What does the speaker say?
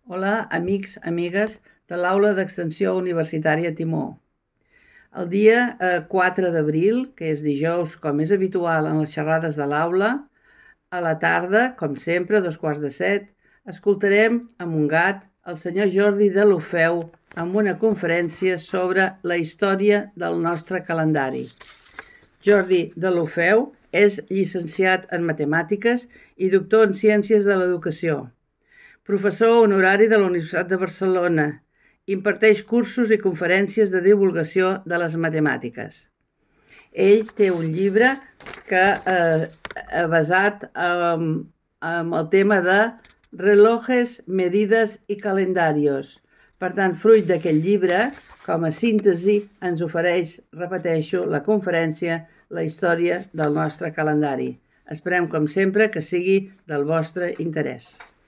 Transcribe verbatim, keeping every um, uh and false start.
Hola, amics, amigues de l'Aula d'Extensió Universitària Timó. El dia eh, quatre d'abril, que és dijous, com és habitual en les xerrades de l'aula, a la tarda, com sempre, a dos quarts de set, escoltarem a Montgat el senyor Jordi Deulofeu amb una conferència sobre la història del nostre calendari. Jordi Deulofeu és llicenciat en Matemàtiques i doctor en Ciències de l'Educació. Professor honorari de la Universitat de Barcelona, imparteix cursos i conferències de divulgació de les matemàtiques. Ell té un llibre que eh, basat en, en el tema de relojes, medides i calendarios. Per tant, fruit d'aquest llibre, com a síntesi, ens ofereix, repeteixo, la conferència, la història del nostre calendari. Esperem, com sempre, que sigui del vostre interès.